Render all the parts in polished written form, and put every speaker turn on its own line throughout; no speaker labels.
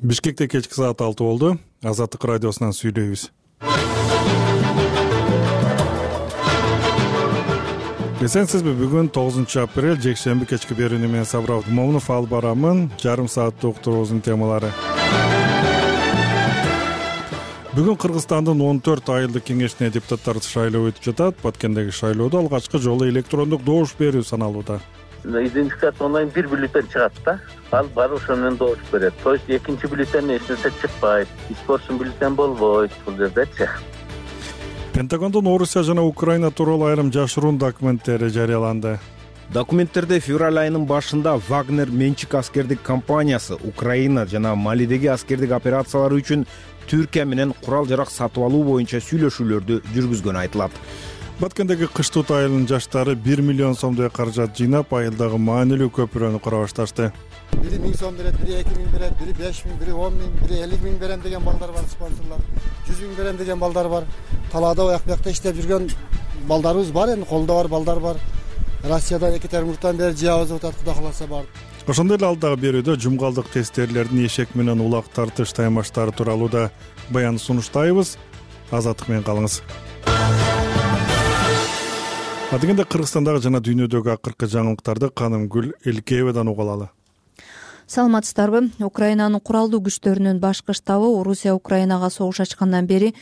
Бишкекте кечки саат 6 болду. Азаттык радиосунан сүйлөйбүз. Эсенсизби, бүгүн 9 апрель жекшемби кечки берүүнү менен Сабыр Момунов алып барамын. Жарым сааттык уктуруубуздун темалары. Бүгүн Кыргызстандын 14 айылдык кеңешине депутаттарды шайлоо өтүп жатат. Баткендеги шайлоодо алгачкы жолу электрондук добуш берүү саналууда.
Идентификацияландан бир бюллетень чыгат да. Ал бар ошону менен добуш берет. То есть экинчи бюллетень эч нерсе чыкпайт. Испорчен бюллетень болбойт бул жердечи.
Пентагондун Орусия жана Украина тууралуу айрым жашыруун документтери жарыяланды.
Документтерде февраль айынын башында Вагнер менчик аскердик компаниясы Украина жана Малидеги аскердик операциялары үчүн Түркия менен курал-жарак сатып алуу боюнча сүйлөшүүлөрдү жүргүзгөнү айтылат.
Баткендеги Кыштут айылынын жаштары 1 миллион сомдой каражат жыйнап, айылдагы маанилүү көпүрөнү кура башташты.
Бири 1000 сом берет, бири 2000 берет, бири 5000, бири 10000, бири 50000 берем деген балдар бар, спонсорлор. 100 000 берем деген балдар бар. Талаада аяк-бакта иштеп жүргөн балдарыбыз бар, эми колдо бар балдар бар. Россиядан, Екатеринбургдан бери жаабыз атат, Кудай кааласа бар.
Ошондой эле алдагы берүүдө жумгалдык тесттерлердин эшек менен улак тартыш таймаштары тууралуу да баян сунуштайбыз. Азаттык менен калыңыз. Адегенде Кыргызстандагы жана дүйнөдөгү акыркы жаңылыктарды Канымгүл Элкеевадан уга алалы.
Саламатсыздарбы? Украинанын куралдуу күчтөрүнүн башкы штабы Орусия Украинага согуш ачкандан бери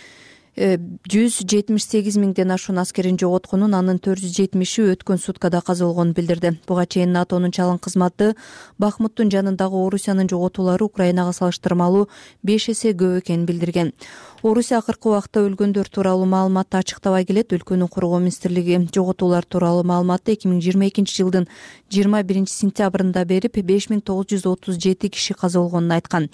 178 миңден ашуун аскерин жоготконун, анын 470 өткөн суткада каза болгонун билдирди. Буга чейин НАТОнун чалым кызматы Бахмуттун жанындагы Орусиянын жоготуулары Украинага салыштырмалуу 5 эсе көп экенин билдирген. Орусия акыркы убакта өлгөндөр тууралуу маалыматты ачыктабай келет. Өлкөнүн коргоо министрлиги жоготуулар тууралуу маалыматты 2022 жылдын 21 сентябрында берип, 5937 киши каза болгонун айткан.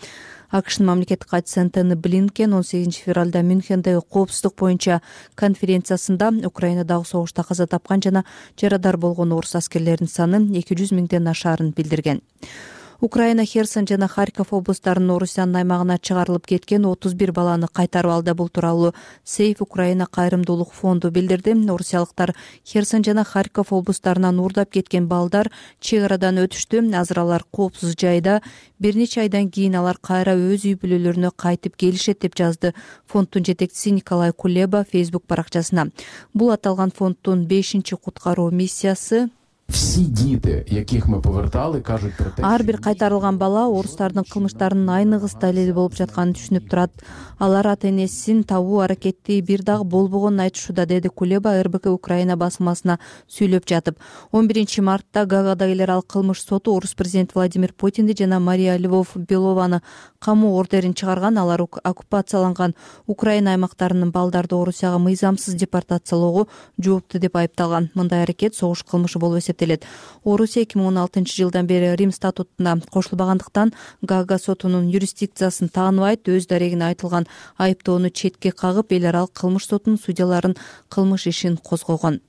АКШнын мамлекеттик катчысы Антони Блинкен 18 февралда Мюнхендеги коопсуздук боюнча конференциясында Украинадагы согушта каза тапкан жана жарадар болгон орус аскерлеринин саны 200 миңден ашаарын билдирген. Украина Херсон жана Харьков облустарынын Орусиянын аймагына чыгарылып кеткен 31 баланы кайтарып алды. Бул тууралуу Сейф Украина кайрымдуулук фонду билдирди. Орусиялыктар Херсон жана Харьков облустарынан уурдап кеткен балдар чек арадан өтүштү. Азыр алар коопсуз жайда. Бир нече айдан кийин алар кайра өз үй бүлөлөрүнө кайтып келишет деп жазды фонддун жетекчиси Николай Кулеба Facebook баракчасына. Бул аталган фонддун 5-чи куткаруу миссиясы.
Всі діти, яких ми повертали, кажуть про те,
ар бир кайтарылган бала орустардын кылмыштарынын айныгыс далили болуп жатканын түшүнүп турат. Алар ата-энесин табуу аракети бир дагы болбогонун айтышууда, деди Кулеба РБК Украина басмасына сүйлөп жатып. 11 мартта Гаагадагилер ал кылмыш соту орус президенти Владимир Путинди жана Мария Львов-Белованы камуу ордерин чыгарган. Алар оккупацияланган Украина аймактарынын балдарды Орусияга мыйзамсыз депортациялоого жоопту деп айыпталган. Мындай аракет согуш кылмышы болуп эсептелет. Орусия 2016 жылдан бери Рим статутуна кошулбагандыктан Гаага сотунун юрисдикциясын тааныбайт. Өз дарегине айтылган айыптоону четке кагып, эл аралык кылмыш сотунун судьяларын кылмыш ишин козгогон.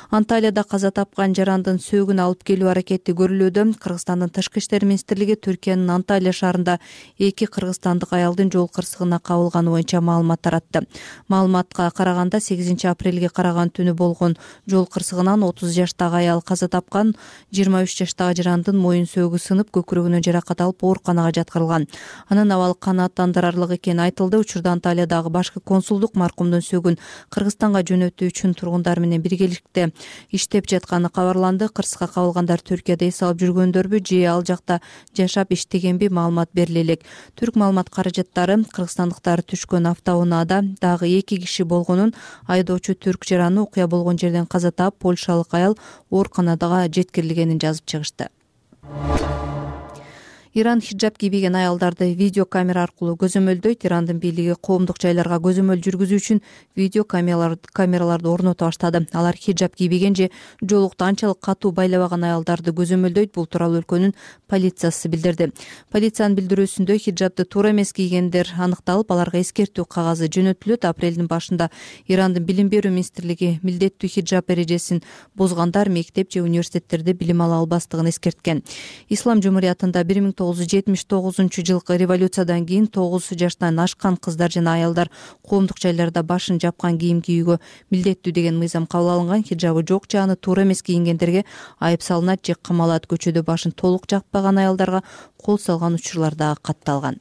Анталияда каза тапкан жарандын сөөгүн алып келүү аракети көрүлүүдө. Кыргызстандын тышкы иштер министрлиги Түркиянын Анталия шаарында 2 кыргызстандык аялдын жол кырсыгына кабылганы боюнча маалымат таратты. Маалыматка караганда 8 апрелге караган түнү болгон жол кырсыгынан 30 жаштагы аял каза тапкан. 23 жаштагы жарандын моюн сөөгү сынып, көкүрөгүнөн жаракат алып ооруканага жаткырылган. Анын абалы канааттандырарлык экени айтылды. Учурда Анталиядагы башкы консулдук маркумдун сөөгүн Кыргызстанга жөнөтүү үчүн тургундар менен биргеликте иштеп жатканы кабарланды. Кырсыкка кабылгандар Түркияда эс алып жүргөндөрбү же ал жакта жашап иштегенби, маалымат бериле элек. Түрк маалымат каражаттары кыргызстандыктар түшкөн автоунаада дагы 2 киши болгонун, айдоочу түрк жараны окуя болгон жерден каза таап, польшалык аял ооруканага жеткирилгенин жазып чыгышты. Иран хиджаб кийбеген аялдарды видео камера аркылуу көзөмөлдөйт. Ирандын бийлиги коомдук жайларга көзөмөл жүргүзүү үчүн видео камераларды орното баштады. Алар хиджаб кийбеген же жолукту анчалык катуу байлабаган аялдарды көзөмөлдөйт. Бул тууралуу өлкөнүн полициясы билдирди. Полициянын билдирүүсүндө хиджабты туура эмес кийгендер аныкталып, аларга эскертүү кагазы жөнөтүлөт. Апрелдин башында Ирандын билим берүү министрлиги милдеттүү хиджаб эрежесин бузгандар мектеп же университеттерде билим ала албастыгын эскерткен. Ислам жумуриятында 1979 жылкы революциядан кийин 9 жаштан ашкан кыздар жана аялдар коомдук жайларда башын жапкан кийим кийүүгө милдеттүү деген мыйзам кабыл алынган. Хиджабы жок же аны туура эмес кийингендерге айып салынат же камалат. Көчөдө башын толук жаппаган аялдарга кол салган учурлар дагы катталган.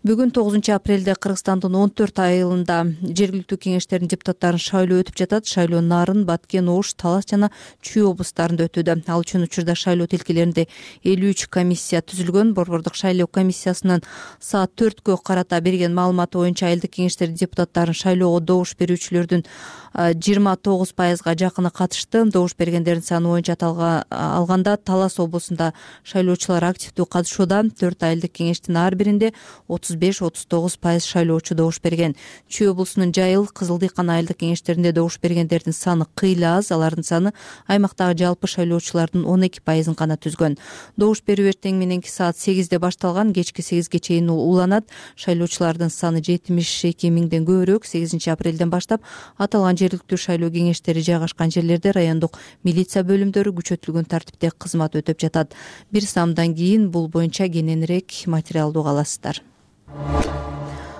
Бүгүн 9 апрелде Кыргызстандын 14 айылында жергиликтүү кеңештердин депутаттарын шайлоо өтүп жатат. Шайлоо Нарын, Баткен, Ош, Талас жана Чүй облустарында өтүүдө. Ал үчүн учурда шайлоо тилкелеринде 53 комиссия түзүлгөн. Борбордук шайлоо комиссиясынын саат 4кө карата берген маалыматы боюнча айылдык кеңештердин депутаттарын шайлоого добуш берүүчүлөрдүн 29%га жакыны катышты. Добуш бергендердин саны боюнча алганда Талас облусунда шайлоочулар активдүү катышууда. 4 айылдык кеңештин ар биринде 35-39% шайлоочу добуш берген. Чүй облусунун Жайыл, Кызыл Дыйкан айылдык кеңештеринде добуш бергендердин саны кыйла аз. Алардын саны аймактагы жалпы шайлоочулардын 12%-ын гана түзгөн. Добуш берүү эртең мененки саат 8де башталган, кечки 8ге чейин уланат. Шайлоочулардын саны 72 миңден көбүрөөк. 8 апрелден баштап аталган жергиликтүү шайлоо кеңештери жайгашкан жерлерде райондук милиция бөлүмдөрү күчөтүлгөн тартипте кызмат өтөп жатат. Бир саамдан кийин бул боюнча кененирээк материалды уга аласыздар.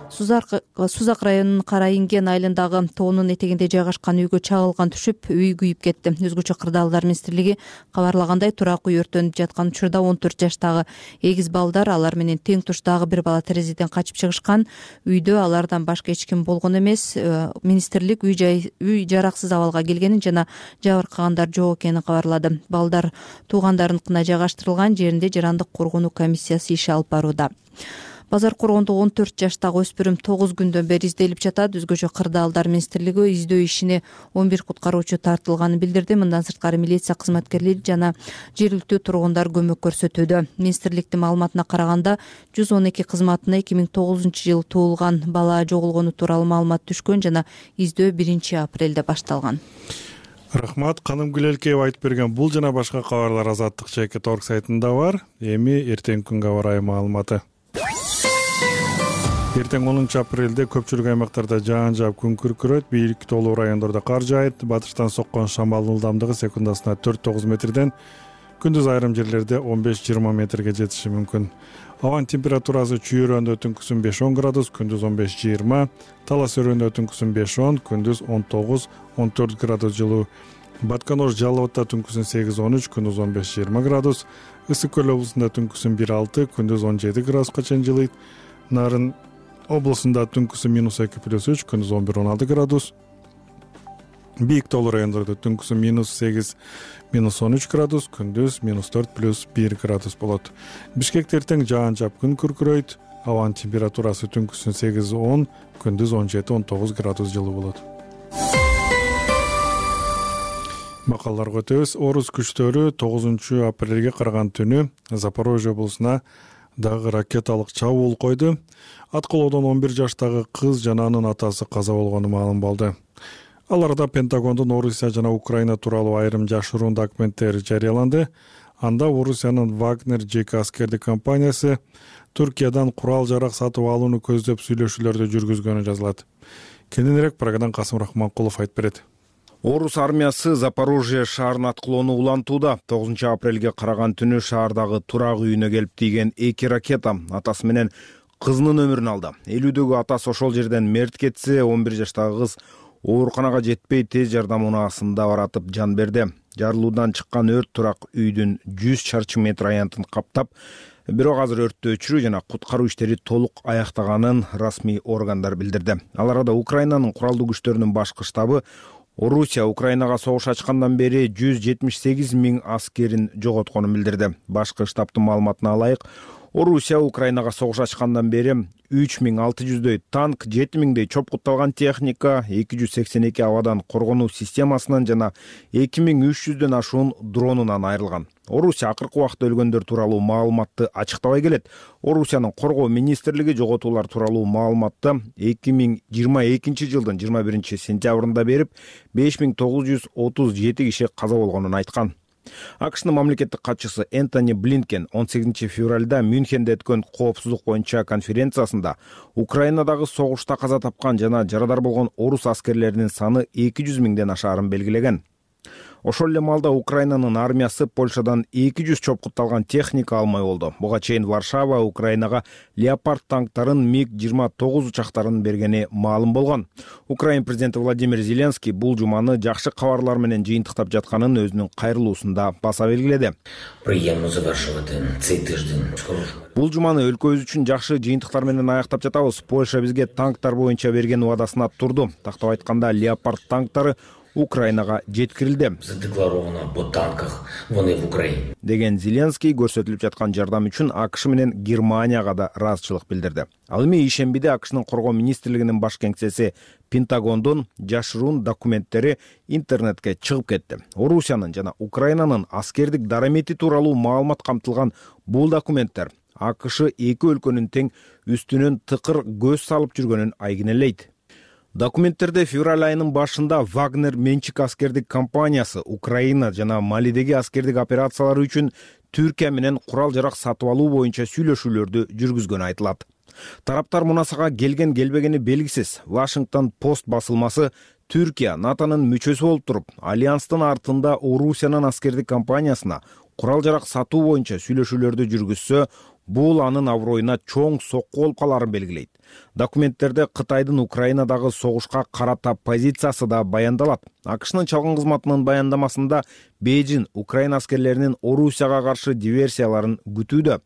Сузак районунун Кара Инген айылындагы тоонун этегинде жайгашкан үйгө чагылган түшүп, үй күйүп кетти. Өзгөчө Кырдаалдар министрлиги кабарлагандай, турак үй өртөнүп жаткан учурда 14 жаштагы эгиз балдар, алар менен тең туш дагы бир бала терезеден качып чыгышкан. Үйдө алардан башка эч ким болгон эмес. Министрлик үй жараксыз абалга келгенин жана жабыркагандар жок экенин кабарлады. Балдар туугандарыныкына жайгаштырылган жеринде жарандык коргонуу комиссиясы иш алып барууда. Базар Коргондо 14 жаштагы өспүрүм 9 күндөн бери изделип жатат. Өзгөчө Кырдаалдар министрлиги издөө ишине 11 куткаруучу тартылганын билдирди. Мындан сырткары милиция кызматкерлери жана жергиликтүү тургундар көмөк көрсөтүүдө. Министрликтин маалыматына караганда 112 кызматына 2009-жылы туулган бала жоголгону тууралуу маалымат түшкөн жана издөө 1 апрелде башталган.
Рахмат, Каным Гүлелкеева айтып берген бул жана башка кабарлар Азаттык чекит орг сайтында бар. Эми эртеңки күнгө аба ырайы маалыматы. Эртең 10 апрелде көпчүлүк аймактарда жаан жаап күн күркүрөйт, бийик тоолуу райондордо кар жаайт. Батыштан соккон шамалдын ылдамдыгы секундасына 4-9 метрден, күндүз айрым жерлерде 15-20 метрге жетиши мүмкүн. Абанын температурасы Чүй өрөөндө түнкүсүн 5-10 градус, күндүз 15-20, Талас өрөөндө түнкүсүн 5-10, күндүз 19-14 градус жылуу. Баткен Ош Жалал Абадта түнкүсүн 8-13, күндүз 15-20 градус, Ысык Көл облусунда түнкүсүн 1-6, күндүз 17 градуска чейин жылыйт. Нарын облусунда түнкүсү -2+3, күндүз 11-16 градус. Бийик тоолуу райондордо түнкүсү -8-13 градус, күндүз -4+1 градус болот. Бишкекте эртең жаан жаап күн күркүрөйт. Абанын температурасы түнкүсүн 8-10, күндүз 17-19 градус жылуу болот. Макалларга өтөбүз. Орус күчтөрү 9 апрелге караган түнү Запорожье облусуна дагы ракеталык чабуул койду. Аткылоодон 11 жаштагы кыз жана анын атасы каза болгону маалым болду. Ал арада Пентагондун Орусия жана Украина тууралуу айрым жашыруун документтер жарыяланды. Анда Орусиянын Вагнер жеке аскердик компаниясы Түркиядан курал-жарак сатып алууну көздөп сүйлөшүүлөрдү жүргүзгөнү жазылат. Кененирээк программадан Касым Рахманкулов айтып берет.
Орус армиясы Запорожье шаарын аткылоону улантууда. 9 апрелге караган түнү шаардагы турак үйүнө келип тийген 2 ракета атасы менен кызынын өмүрүн алды. 50дөгү атасы ошол жерден мерт кетсе, 11 жаштагы кыз ооруканага жетпей тез жардам унаасында баратып жан берди. Жарылуудан чыккан өрт турак үйдүн 100 чарчы метр аянтын каптап, бирок азыр өрттү өчүрүү жана куткаруу иштери толук аяктаганын расмий органдар билдирди. Ал арада Украинанын куралдуу күчтөрүнүн башкы штабы Орусия Украинага согуш ачкандан бери 178 миң аскерин жоготконун билдирди. Башкы штабтын маалыматына ылайык, Орусия Украинага согуш ачкандан бери 3600дөй танк, 7000дей чопкутталган техника, 282 абадан коргонуу системасынан жана 2300дөн ашуун дронунан айрылган. Орусия акыркы убакта өлгөндөр тууралуу маалыматты ачыктабай келет. Орусиянын коргоо министрлиги жоготуулар тууралуу маалыматты 2022 жылдын 21 сентябрында берип, 5937 киши каза болгонун айткан. АКШнын мамлекеттик катчысы Энтони Блинкен 18 февралда Мюнхенде өткөн коопсуздук боюнча конференциясында Украинадагы согушта каза тапкан жана жарадар болгон орус аскерлеринин саны 200 миңден ашаарын белгилеген. Ошол эле маалда Украинанын армиясы Польшадан 200 чопкутталган техника алмай болду. Буга чейин Варшава Украинага Леопард танктарын МиГ-29 учактарын бергени маалым болгон. Украин президенти Владимир Зеленский бул жуманы жакшы кабарлар менен жыйынтыктап жатканын өзүнүн кайрылуусунда баса белгиледи. Бул жуманы өлкөбүз үчүн жакшы жыйынтыктар менен аяктап жатабыз. Польша бизге танктар боюнча берген убадасына турду. Тактап айтканда, Леопард танктары Украинага жеткирилди деген Зеленский көрсөтүлүп жаткан жардам үчүн АКШ менен Германияга да ыраазычылык билдирди. Ал эми ишембиде АКШнын коргоо министрлигинин баш кеңсеси Пентагондун жашыруун документтери интернетке чыгып кетти. Орусиянын жана Украинанын аскердик дарамети тууралуу маалымат камтылган бул документтер АКШ эки өлкөнүн тең үстүнөн тыкыр көз салып жүргөнүн айгинелейт. Документтерде февраль айынын башында Вагнер менчик аскердик компаниясы Украина жана Малидеги аскердик операциялары үчүн Түркия менен курал-жарак сатып алуу боюнча сүйлөшүүлөрдү жүргүзгөнү айтылат. Тараптар мунасага келген-келбегени белгисиз. Washington Post басылмасы Түркия НАТОнун мүчөсү болуп туруп, альянстын артында Орусиянын аскердик компаниясына курал-жарак сатуу боюнча сүйлөшүүлөрдү жүргүзсө, бул анын аброюна чоң сокку болуп каларын белгилейт. Документтерде Кытайдын Украинадагы согушка карата позициясы да баяндалат. АКШнын чалгын кызматынын баяндамасында Бейжин Украина аскерлеринин Орусияга каршы диверсияларын күтүүдө.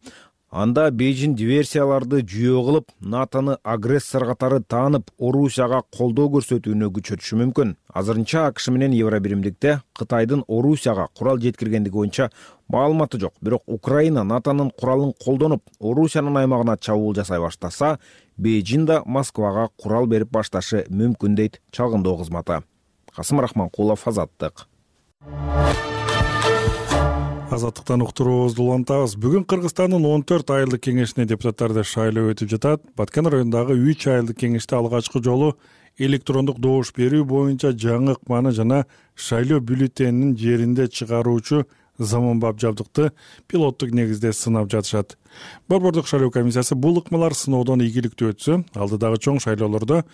Анда Бейжин диверсияларды жүйө кылып, НАТОны агрессор катары таанып, Орусияга колдоо көрсөтүүнү күчөтүшү мүмкүн. Азырынча АКШ менен Евробиримдикте Кытайдын Орусияга курал жеткиргендиги боюнча маалыматы жок. Бирок Украина НАТОнун куралын колдонуп, Орусиянын аймагына чабуул жасай баштаса, Бейжин да Москвага курал берип башташы мүмкүн дейт чалгындоо кызматы. Касым Рахманкулов, Азаттык.
Азаттыктан уктуруубузду улантабыз. Бүгүн Кыргызстандын 14 айылдык кеңешине депутаттарды шайлоо өтүп жатат. Баткен районундагы 3 айылдык кеңеште алгачкы жолу электрондук добуш берүү боюнча жаңы ыкманы жана шайлоо бюллетенинин жеринде чыгаруучу заманбап жабдыкты пилоттук негизде сынап жатышат. Борбордук шайлоо комиссиясы бул ыкмалар сыноодон ийгиликтүү өтсө, алдыдагы чоң шайлоолордо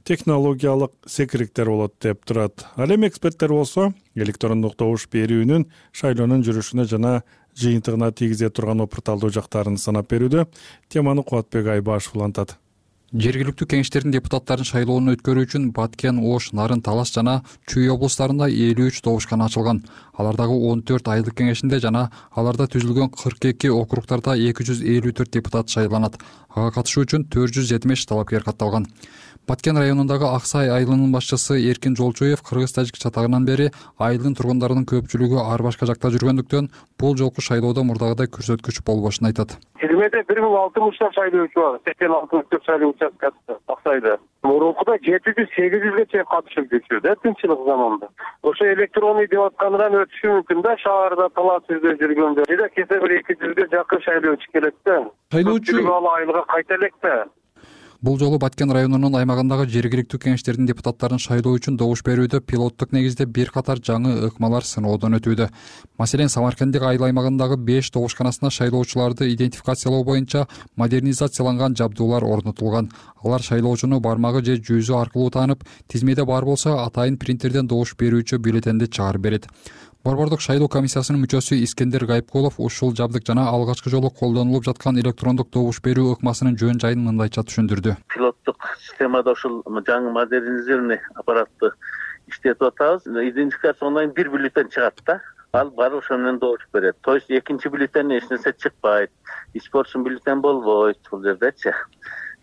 технологиялык секириктер болот деп турат. Ал эми эксперттер болсо электрондук добуш берүүнүн шайлоонун жүрүшүнө жана жыйынтыгына тийгизе турган опурталдуу жактарын санап берүүдө. Теманы Кубатбек Айбашев улантат.
Жергиликтүү кеңештердин депутаттарын шайлоону өткөрүү үчүн Баткен, Ош, Нарын, Талас жана Чүй облустарында 53 добушкана ачылган. Алардагы 14 айылдык кеңешинде жана аларда түзүлгөн 42 округдарда 254 депутат шайланат. Ага катышуу үчүн 475 талапкер катталган. Баткен районундагы Аксай айылынын башчысы Эркин Жолчуев кыргыз-тажик чатагынан бери айылдын тургундарынын көпчүлүгү ар башка жакта жүргөндүктөн бул жолку шайлоодо мурдагыдай көрсөткүч болбошун айтат.
Тизмеде 1060 шайлоочу бар. 86 шайлоо участкасы Аксайда. Мурункуда 700-800ге чейин катышып жүрчү тынччылык заманында. Ошо электронный деп аткандан өтүшү мүмкүн да, шаарда талап сүздөп жүргөндө. Жада кесе бир 200ге жакын шайлоочу келет да.
Шайлоочу
айылга кайта элек да.
Бул жолу Баткен районунун аймагындагы жергиликтүү кеңештердин депутаттарын шайлоо үчүн добуш берүүдө пилоттук негизде бир катар жаңы ыкмалар сыноодон өтүүдө. Маселен, Самаркандык айыл аймагындагы 5 добушканасына шайлоочуларды идентификациялоо боюнча модернизацияланган жабдуулар орнотулган. Алар шайлоочуну бармагы же жүзү аркылуу таанып, тизмеде бар болсо атайын принтерден добуш берүүчү бюллетенди чыгарып берет. Борбордук шайлоо комиссиясынын мүчөсү Искендер Гайыпкулов ушул жабдык жана алгачкы жолу колдонулуп жаткан электрондук добуш берүү ыкмасынын жөн жайын мындайча түшүндүрдү.
Пилоттук системада ушул жаңы модернизированный аппаратты иштетип атабыз. Идентификацияланган бир бюллетен чыгат да. Ал барып ошо менен добуш берет. То есть экинчи бюллетенден эч нерсе чыкпайт. Испорчен бюллетен болбойт бул жердечи.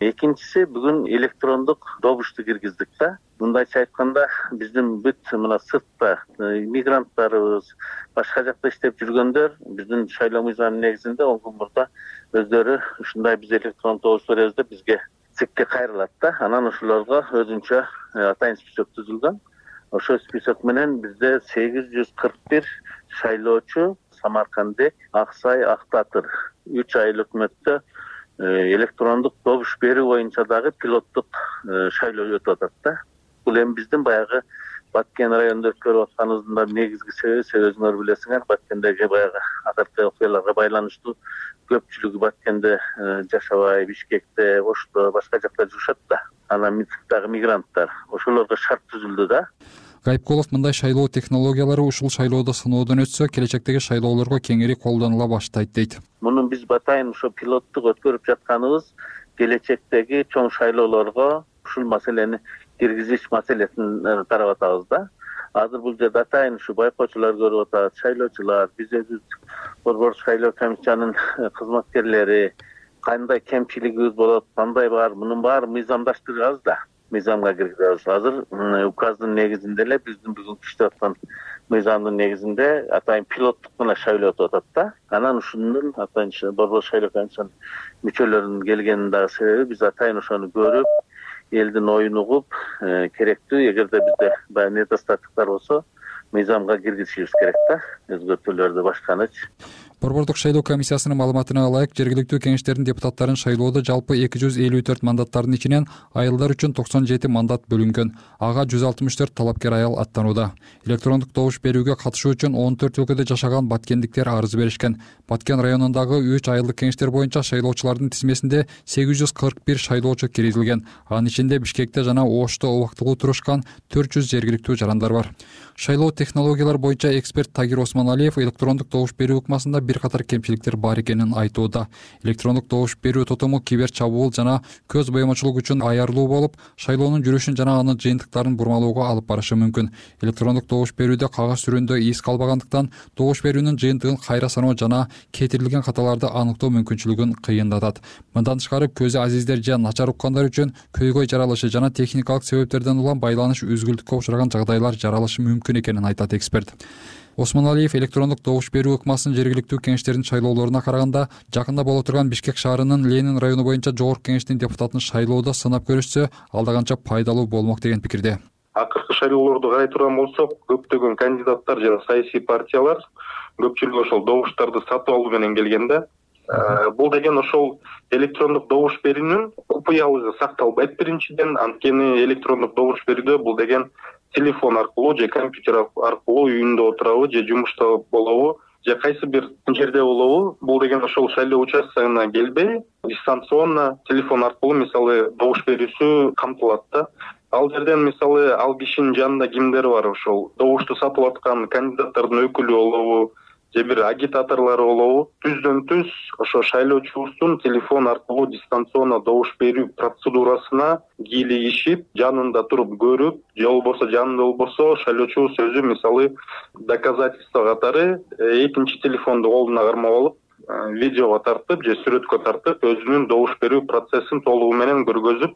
Экинчиси, бүгүн электрондук добушту киргиздик да. Мындайча айтканда, биздин бүт мына сыртта мигранттарыбыз, башка жакта иштеп жүргөндөр биздин шайлоо мыйзамынын негизинде 10 күн мурда өздөрү ушундай биз электрондук добуш беребиз деп бизге ЦИКке кайрылат да. Анан ошолорго өзүнчө атайын список түзүлгөн. Ошол список менен бизде 841 шайлоочу Самаркандык, Аксай, Актатыр 3 айыл өкмөттө электрондук добуш берүү боюнча дагы пилоттук шайлоо өтүп атат да. Бул эми биздин баягы Баткен районунда өткөрүп атканыбыздын да негизги себеби өзүңөр билесиңер, Баткендеги баягы акыркы окуяларга байланыштуу көпчүлүгү Баткенде жашабай, Бишкекте, Ошто, башка жакта жүрүшөт да. Анан Минскдагы мигранттар, ошолорго шарт түзүлдү да.
Гайыпкулов мындай шайлоо технологиялары ушул шайлоодо сыноодон өтсө, келечектеги шайлоолорго кеңири колдонула баштайт дейт.
Мунун биз батайын ошо пилоттук өткөрүп жатканыбыз келечектеги чоң шайлоолорго ушул маселени киргизиш маселесин карап атабыз да. Азыр бул жерде атайын ушу байкоочулар көрүп атат, шайлоочулар, биз өзүбүз Борбордук шайлоо комиссиянын кызматкерлери кандай кемчилигибиз болот, кандай бар, мунун баарын мыйзамдаштырабыз да. Мыйзамга киргизебиз. Азыр указдын негизинде эле биздин бүгүнкү иштеп аткан мыйзамдын негизинде атайын пилоттук гана шайлоо өтүп атат да. Анан ушунун атайын Борбордук шайлоо комиссиянын мүчөлөрүнүн келгенин дагы себеби биз атайын ошону көрүп, элдин оюн угуп, керектүү эгерде бизде баягы недостатоктор болсо мыйзамга киргизишибиз керек да, өзгөртүүлөрдү башканычы.
Борбордук шайлоо комиссиясынын маалыматына ылайык, жергиликтүү кеңештердин депутаттарын шайлоодо жалпы 254 мандаттардын ичинен айылдар үчүн 97 мандат бөлүнгөн. Ага 164 талапкер аял аттанууда. Электрондук добуш берүүгө катышуу үчүн 14 өлкөдө жашаган баткендиктер арыз беришкен. Баткен районундагы 3 айылдык кеңештер боюнча шайлоочулардын тизмесинде 841 шайлоочу киргизилген. Анын ичинде Бишкекте жана Ошто убактылуу турушкан 400 жергиликтүү жарандар бар. Шайлоо технологиялар боюнча эксперт Тагир Осмоналиев электрондук добуш берүү ыкмасында бир катар кемчиликтер бар экенин айтууда. Электрондук добуш берүү тотому кибер чабуул жана көз боемочулук үчүн аярлуу болуп, шайлоонун жүрүшүн жана анын жыйынтыктарын бурмалоого алып барышы мүмкүн. Электрондук добуш берүүдө кагаз сүрөндө из калбагандыктан добуш берүүнүн жыйынтыгын кайра саноо жана кетирилген каталарды аныктоо мүмкүнчүлүгүн кыйындатат. Мындан тышкары көзү азиздер же начар уккандар үчүн көйгөй жаралышы жана техникалык себептерден улам байланыш үзгүлтүккө учураган жагдайлар жаралышы мүмкүн экенин айтат эксперт. Осмоналиев электрондук добуш берүү ыкмасын жергиликтүү кеңештердин шайлоолоруна караганда жакында боло турган Бишкек шаарынын Ленин району боюнча жогорку кеңештин депутатын шайлоодо сынап көрүшсө, алда канча пайдалуу болмок деген пикирде.
Акыркы шайлоолорду карай турган болсок, көптөгөн кандидаттар жана саясий партиялар көпчүлүгү ошол добуштарды сатып алуу менен келген да. Бул деген ошол электрондук добуш берүүнүн купуялыгы сакталбайт биринчиден, анткени электрондук добуш берүүдө бул деген телефон аркылуу же компьютер аркылуу үйүндө отурабы же жумушта болобу же кайсы бир жерде болобу, бул деген ошол шайлоо участкасына келбей дистанционно телефон аркылуу мисалы добуш берүүсү камтылат да. Ал жерден мисалы ал кишинин жанында кимдер бар, ошол добушту сатып аткан кандидаттардын өкүлү болобу же бир агитаторлор болобу, түздөн түз ошо шайлоочубуздун телефон аркылуу дистанционно добуш берүү процедурасына кийлигишип, жанында туруп көрүп, же болбосо жанында болбосо шайлоочубуз өзү мисалы доказательство катары экинчи телефонду колуна кармап алып, видеого тартып же сүрөткө тартып, өзүнүн добуш берүү процессин толугу менен көргөзүп,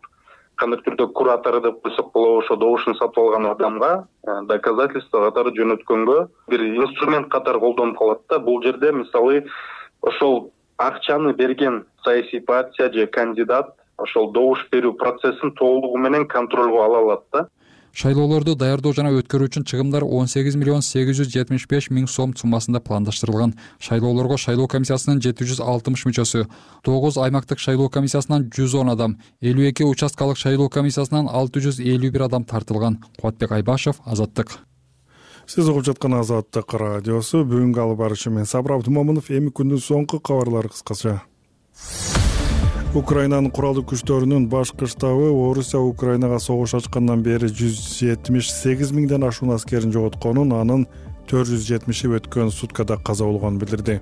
кандайдыр түрдө куратору деп койсок болобу, ошо добушун сатып алган адамга доказательство катары жөнөткөнгө бир инструмент катары колдонуп калат да. Бул жерде мисалы ошол акчаны берген саясий партия же кандидат ошол добуш берүү процессин толугу менен контролго ала алат да.
Шайлоолорду даярдоо жана өткөрүү үчүн чыгымдар 18 миллион 875 миң сом суммасында пландаштырылган. Шайлоолорго шайлоо комиссиясынын 760 мүчөсү, 9 аймактык шайлоо комиссиясынан 110 адам, 52 участкалык шайлоо комиссиясынан 651 адам тартылган. Кубатбек Айбашев, Азаттык.
Сиз угуп жаткан Азаттык радиосу. Бүгүнкү алып барышы мен Сабыр Абдумомунов. Эми күндүн соңку кабарлары кыскача. Украинанын куралдуу күчтөрүнүн башкы штабы Орусия Украинага согуш ачкандан бери 178 миңден ашуун аскерин жоготконун, анын 470 өткөн суткада каза болгонун билдирди.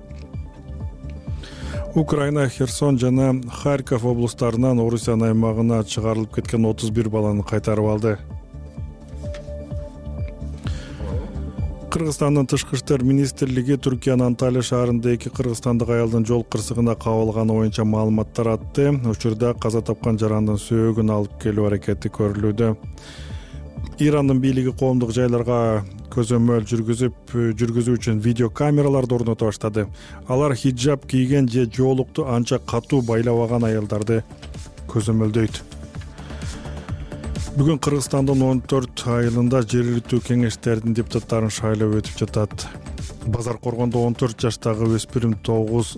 Украина Херсон жана Харьков облустарынан Орусиянын аймагына чыгарылып кеткен 31 баланы кайтарып алды. Кыргызстандын тышкы иштер министрлиги Түркиянын Анталия шаарында 2 кыргызстандык аялдын жол кырсыгына кабылганы боюнча маалыматтар атты. Учурда каза тапкан жарандын сөөгүн алып келүү аракети көрүлүүдө. Ирандын бийлиги коомдук жайларга көзөмөл жүргүзүү үчүн видео камераларды орното баштады. Алар хиджаб кийген же жоолукту анча катуу байлабаган аялдарды көзөмөлдөйт. Бүгүн Кыргызстандын 14 айылында жергиликтүү кеңештердин депутаттарын шайлоо өтүп жатат. Базар Коргондо 14 жаштагы өспүрүм 9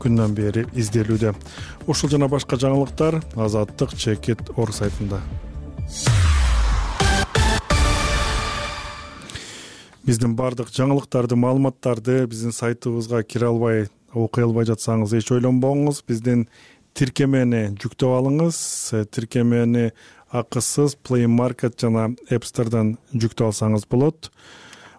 күндөн бери изделүүдө. Ушул жана башка жаңылыктар Азаттык Чекит Орг сайтында. Биздин бардык жаңылыктарды, маалыматтарды биздин сайтыбызга кире албай, окуй албай жатсаңыз эч ойлонбоңуз. Биздин тиркемени жүктөп алыңыз. Тиркемени акысыз Play Market жана App Store'дан жүктөп алсаңыз болот.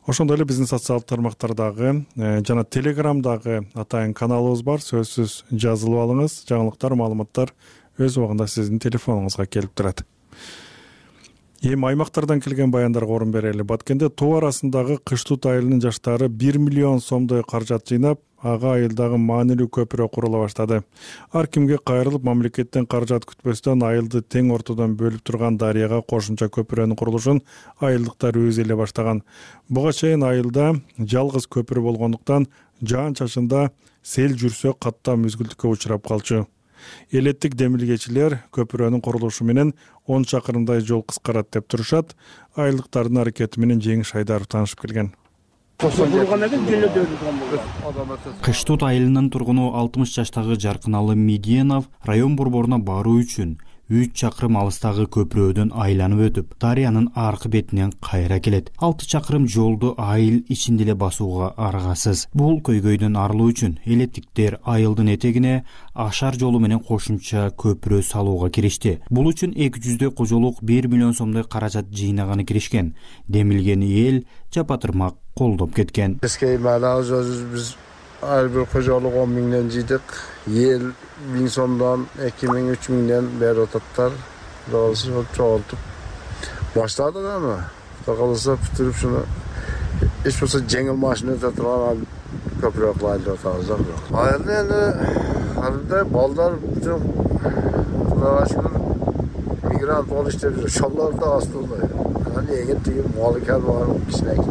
Ошондой эле биздин социалдык тармактардагы жана Telegramдагы атайын каналыбыз бар. Сөзсүз жазылып алыңыз. Жаңылыктар, маалыматтар өз убагында сиздин телефонуңузга келип турат. Эми аймактардан келген баяндарга орун берели. Баткенде тоо арасындагы Кыштут айылынын жаштары 1 миллион сомдой каражат жыйнап, ага айылдагы маанилүү көпүрө курула баштады. Ар кимге кайрылып, мамлекеттен каражат күтпөстөн айылды тең ортодон бөлүп турган дарыяга кошумча көпүрөнүн курулушун айылдыктар өзү эле баштаган. Буга чейин айылда жалгыз көпүрө болгондуктан жаан-чачында сел жүрсө каттам мүзгүлтүккө учурап калчу. Элеттик демилгечилер көпүрөнүн курулушу менен 10 чакырымдай жол кыскарат деп турушат. Айылдыктардын аракети менен Жеңиш Айдаров таанышып келген.
Кыштут айылынын тургуну 60 жаштагы Жаркыналы Меденов район борборуна баруу үчүн 3 чакырым алыстагы көпүрөдөн айланып өтүп, дарыянын аркы бетинен кайра келет. 6 чакырым жолду айыл ичинде эле басууга аргасыз. Бул көйгөйдөн арылуу үчүн элеттиктер айылдын этегине ашар жолу менен кошумча көпүрө салууга киришти. Бул үчүн 200 кожолук 1 миллион сомдой каражат жыйнаганы киришкен. Демилген эл жапатырмак колдоп кеткен.
Ар бир кожолук 10 миңден жыйдык. Ел 1000 сомдон 2000, 3000ден берип ататтар. Дагысы чогултуп баштадык аны. Калса бүтүрүп шуну эч болсо жеңил машина өтө турган көпүрө кылайлы атабыз. Айылда эми анда балдар бүтүн мигрант болуп иштеп жүр. Шоллор да астында. Аны эгер тиги малыкар бар, кичинекей.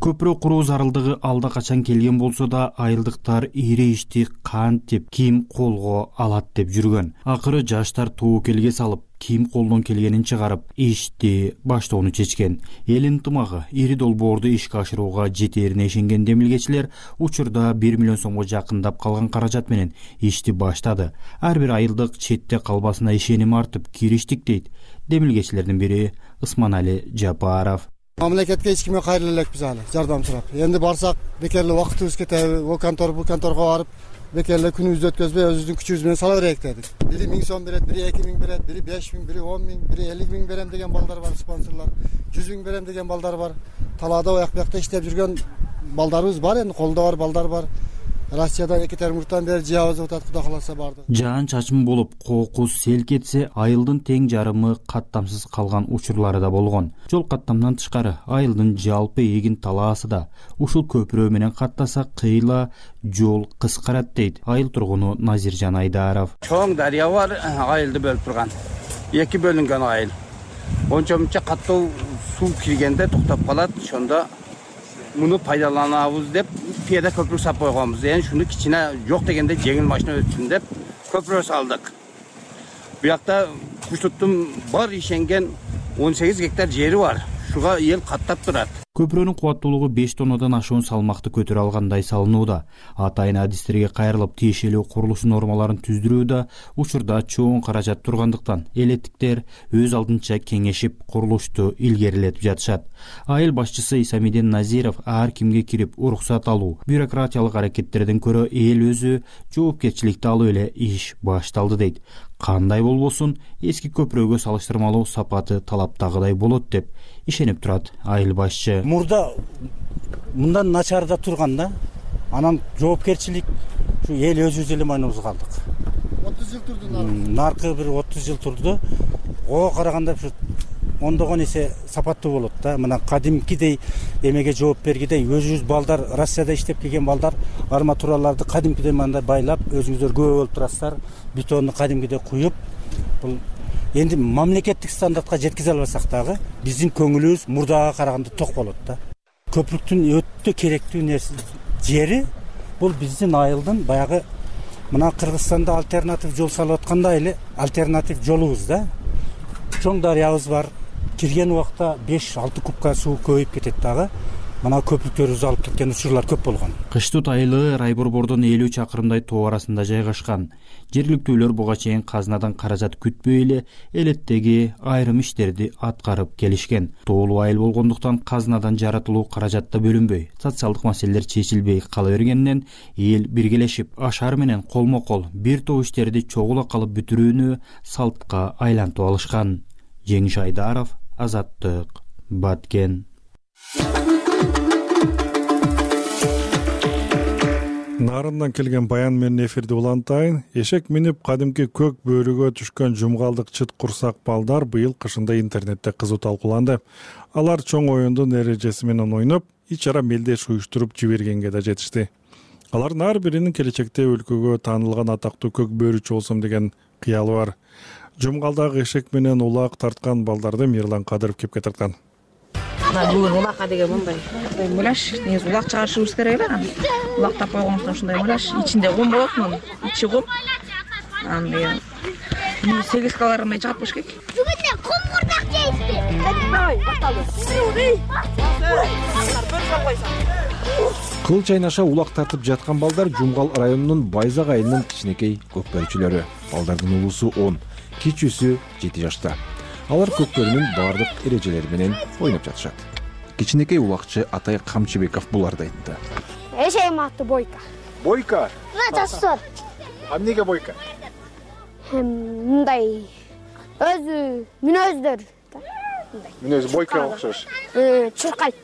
Көпүрө куруу зарылдыгы алда качан келген болсо да айылдыктар ири ишти кантип ким колго алат деп жүргөн. Акыры жаштар тобокелге салып, ким колдон келгенин чыгарып, ишти баштоону чечкен. Эл ынтымагы ири долбоорду ишке ашырууга жетерине ишенген демилгечилер учурда 1 миллион сомго жакындап калган каражат менен ишти баштады. Ар бир айылдык четте калбасына ишеним артып кириштик дейт демилгечилердин бири Ысманали Жапаров.
Мамлекетке эч кимге кайрыла элекпиз аны, жардам сурап. Энди барсак, бекерле убактыбыз кетеби, о контор, бу конторго барып, бекерле күнүбүздү өткөзбөй, өзүбүздүн күчүбүз менен сала берейик дедик. Бири 1000 сом берет, бири 2000 берет, бири 5000, бири 10000, бири 50000 берем деген балдар бар, спонсорлор. 100 000 берем деген балдар бар. Талаада ояк-буякта иштеп жүргөн балдарыбыз бар, энди колдо бар балдар бар. Россиядан, Екатеринбургтан бери жаабыз атат, Кудай кааласа барды.
Жаан чачым болуп, кокус сел кетсе, айылдын тең жарымы каттамсыз калган учурлары да болгон. Жол каттамдан тышкары айылдын жалпы эгин талаасы да ушул көпүрө менен каттаса кыйла жол кыскарат дейт айыл тургуну Назиржан Айдаров.
Чоң дарыя бар, айылды бөлүп турган. Эки бөлүнгөн айыл. Онча каттуу суу киргенде токтоп калат, ошондо муну пайдаланабыз деп пияда көпүрө сап койгонбуз. Эми шуну кичине жок дегенде жеңил машина өтсүн деп көпүрө салдык. Буякта Кыштуттун бар ишенген 18 гектар жери бар. Шуга эл каттап турат.
Көпүрөнүн кубаттуулугу 5 тоннадан ашуун салмакты көтөрө алгандай салынууда. Атайын адистерге кайрылып тиешелүү курулуш нормаларын түздүрүүдө учурда чоң каражат тургандыктан элеттиктер өз алдынча кеңешип курулушту илгерилетип жатышат. Айыл башчысы Исамиден Назиров ар кимге кирип уруксат алуу, бюрократиялык аракеттерден көрө эл өзү жоопкерчиликти алып эле иш башталды дейт. Кандай болбосун, эски көпүрөгө салыштырмалуу сапаты талаптагыдай болот деп ишенип турат айыл башчы.
Мурда мындан начарда турган да. Анан жоопкерчилик ушу эл өзүбүз эле мойнубузга алдык.
30 жыл турду.
Наркы бир 30 жыл турду. Ого караганда ушу ондогон эсе сапаттуу болот да. Мына кадимкидей эмеге жооп бергидей өзүбүз балдар Россияда иштеп келген балдар арматураларды кадимкидей мындай байлап өзүңүздөр көп болуп турасыздар. Бетонду кадимкидей куюп, бул энди мамлекеттик стандартка жеткизе албасак дагы биздин көңүлүбүз мурдага караганда ток болот да. Көпүрүктүн өтө керектүү нерсе жери бул биздин айылдын баягы мына Кыргызстанда альтернатив жол салып аткандай эле альтернатив жолубуз да. Чоң дарыябыз бар. Кирген убакта 5-6 кубка суу көбөйүп кетет дагы. мына көпүрөлөр узалып кеткен учурлар көп болгон.
Кыштут айылы рай борбордон 50 чакырымдай тоо арасында жайгашкан. Жергиликтүүлөр буга чейин казынадан каражат күтпөй эле элеттеги айрым иштерди аткарып келишкен. Тоолуу айыл болгондуктан казынадан жаратылуу каражат да бөлүнбөй, социалдык маселелер чечилбей кала бергенинен эл биргелешип ашар менен колмо-кол бир топ иштерди чогула калып бүтүрүүнү салтка айлантып алышкан. Жеңиш Айдаров, Азаттык, Баткен.
Нарындан келген баян менен эфирди улантайын. Эшек минип кадимки көк бөрүгө түшкөн жумгалдык чыт курсак балдар быйыл кышында интернетте кызуу талкууланды. Алар чоң оюндун эрежеси менен ойноп, ич ара мелдеш уюштуруп жибергенге да жетишти. Алардын ар биринин келечекте өлкөгө таанылган атактуу көк бөрүчү болсом деген кыялы бар. Жумгалдагы эшек менен улак тарткан балдарды Мирлан Кадыров кепке тарткан.
Бүгүн улакка деген мындай муляж, негизи улак чыгарышыбыз керек эле. Улак таппай койгондуктан ушундай муляж, ичинде кум болот, мунун ичи кум. Аны 8 калорий чыгып коюш керек.
Бүгүн кумурдак жейсиз. Давай, башталды.
Кыл чайнаша улак тартып жаткан балдар Жумгал районунун Байзак айылынын кичинекей көкбөрүчүлөрү. Балдардын улуусу 10, кичүүсү 7 жашта. Алар көкбөрүнүн бардык эрежелери менен ойноп жатышат. Кичинекей улакчы Атай Камчыбеков буларды айтты.
Эшегим аты Бойка.
Бойка?
Жашсыр.
Эмнеге Бойка?
Мындай өзү мүнөздөр.
Мүнөзү Бойкага окшош.
Чуркайт.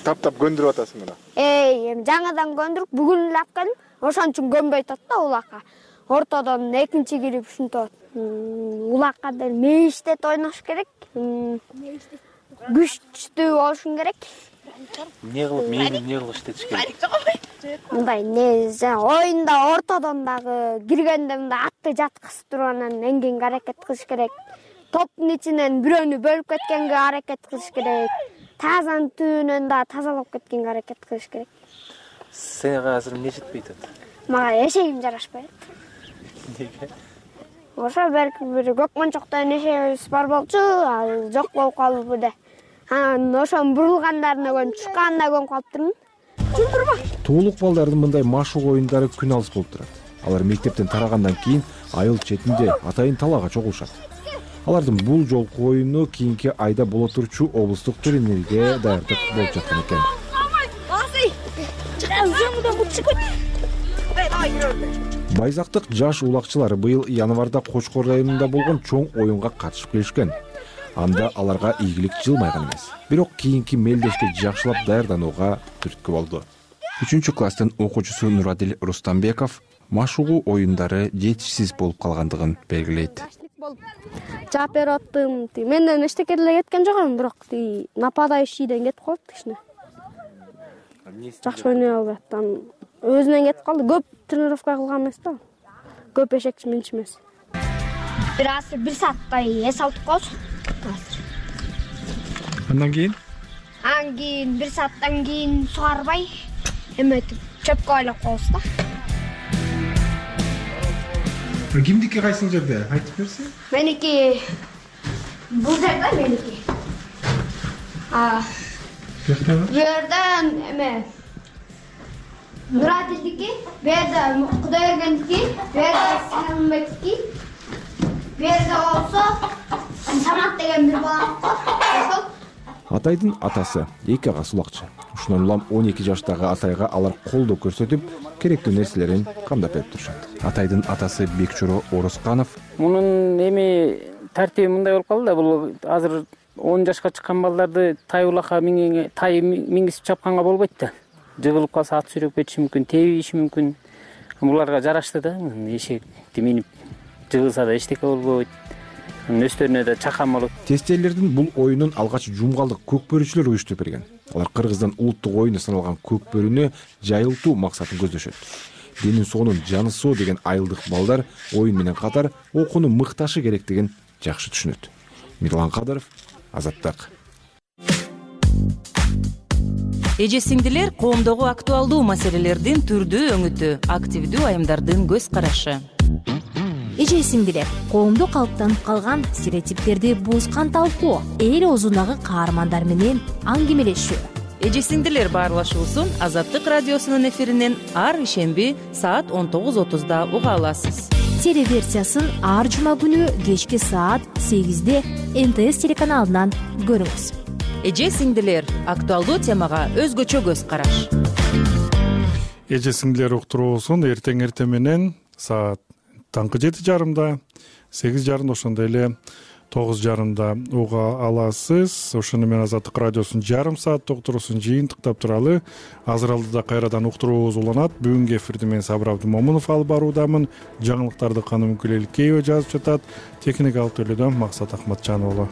Таптап көндүрүп атасың мына.
Жаңадан көндүрүп, бүгүн эле алып келдим. Ошон үчүн көнбөй атат да улакка. Ортодон экинчи кирип ушинтип улакка деле мейиштет ойнош керек. Күчтүү болушуң керек.
Эмне кылып мейини эмне кылып иштетиш керек?
Мындай оюнда ортодон дагы киргенде мындай атты жаткызып туруп анан эңгенге аракет кылыш керек. Топтун ичинен бирөөнү бөлүп кеткенге аракет кылыш керек. Тазанын түбүнөн да тазалап кеткенге аракет кылыш керек.
Сага азыр эмне жетпей атат?
Мага эшегим жарашпайт.
Неге?
Ошо берки бир көк мончоктон эшегибиз бар болчу, ал жок болуп калды бирде. Анан ошонун бурулгандарына көнүп, чыкканына көнүп калыптырмын. Чүндүрбө?
Тоолук балдардын мындай машык оюндары күн алыс болуп турат. Алар мектептен тарагандан кийин айыл четинде атайын талаага чогулушат. Алардын бул жолку оюну кийинки айда боло турчу облустук турнирге даярдык болуп жаткан экен. Байзактык жаш улакчылар быйыл январда Кочкор районунда болгон чоң оюнга катышып келишкен. Анда аларга ийгилик жылмайган эмес. Бирок кийинки мелдешке жакшылап даярданууга түрткү болду. 3-класстын окуучусу Нурадил Рустамбеков машыгуу оюндары жетишсиз болуп калгандыгын белгилейт.
Жаап берип аттым. Менден эчтеке деле кеткен жок, бирок нападающийден кетип калды кичине. Жакшы ойной албайт. Өзүнөн кетип калды. Көп тренировка кылган эмес да. Көп эшекчи минчи эмес. Бир сааттай эс алып коебуз.
Андан кийин?
Андан кийин бир сааттан кийин сугарбай эметип чөпкө айлап коебуз да.
Кимдики кайсыл жерде? Айтып берсең?
Меники бул жерде меники. Бу жерден эме Нурадилдики, бу жерде Кудайбергендики, бу жерде Салымбектики, бу жерде болсо Самат деген бир бала бар.
Атайдын атасы эки агасы улакчы. Ушундан улам 12 жаштагы Атайга алар колдоо көрсөтүп, керектүү нерселерин камдап берип турушат. Атайдын атасы Бекчоро Орусканов:
"Мунун эми тартиби мындай болуп калды да, бул азыр 10 жашка чыккан балдарды тай улакка мингизип чапканга болбойт да. Жыгылып калса ат сүйрөп кетиши мүмкүн, тебиши мүмкүн. Буларга жарашты да, эшекти минип жыгылса да эчтеке болбойт. Өстөрүнө да чакан болот.
Тестелердин бул оюнун алгач жумгалдык көкбөрүчүлөр уюштуруп берген. Алар Кыргыздын улуттук оюну саналган көкбөрүнү жайылтуу максатын көздөшөт. Денин соонун жаны соо деген айылдык балдар оюн менен катар окууну мыкташы керектигин жакшы түшүнөт. Мирлан Кадыров, Азаттык.
Эже-сиңдилер коомдогу актуалдуу маселелердин түрдүү өңүтү, активдүү айымдардын көз карашы.
эже сиңдилер, коомдо калыптанып калган стереотиптерди бузган талкуу, эл оозундагы каармандар менен аңгемелешүү.
Эже сиңдилер баарлашуусун Азаттык радиосунун эфиринен ар ишемби саат 19:30 уга аласыз.
Телеверсиясын ар жума күнү кечки саат 8 НТС телеканалынан көрүңүз.
Эже сиңдилер актуалдуу темага өзгөчө көз караш.
Эже сиңдилер уктуруусун эртең менен саат таңкы 7:30, 8:30 ошондой эле 9:30 уга аласыз. Ошону менен Азаттык радиосунун жарым саат уктуруусун жыйынтыктап туралы. Азыр алдыда кайрадан уктуруубуз уланат. Бүгүнкү эфирди мен Сабыр Абдымомунов алып баруудамын. Жаңылыктарды Каным Күлеликеева жазып жатат. Техникалык төлөөдөн Максат Акматжан уулу.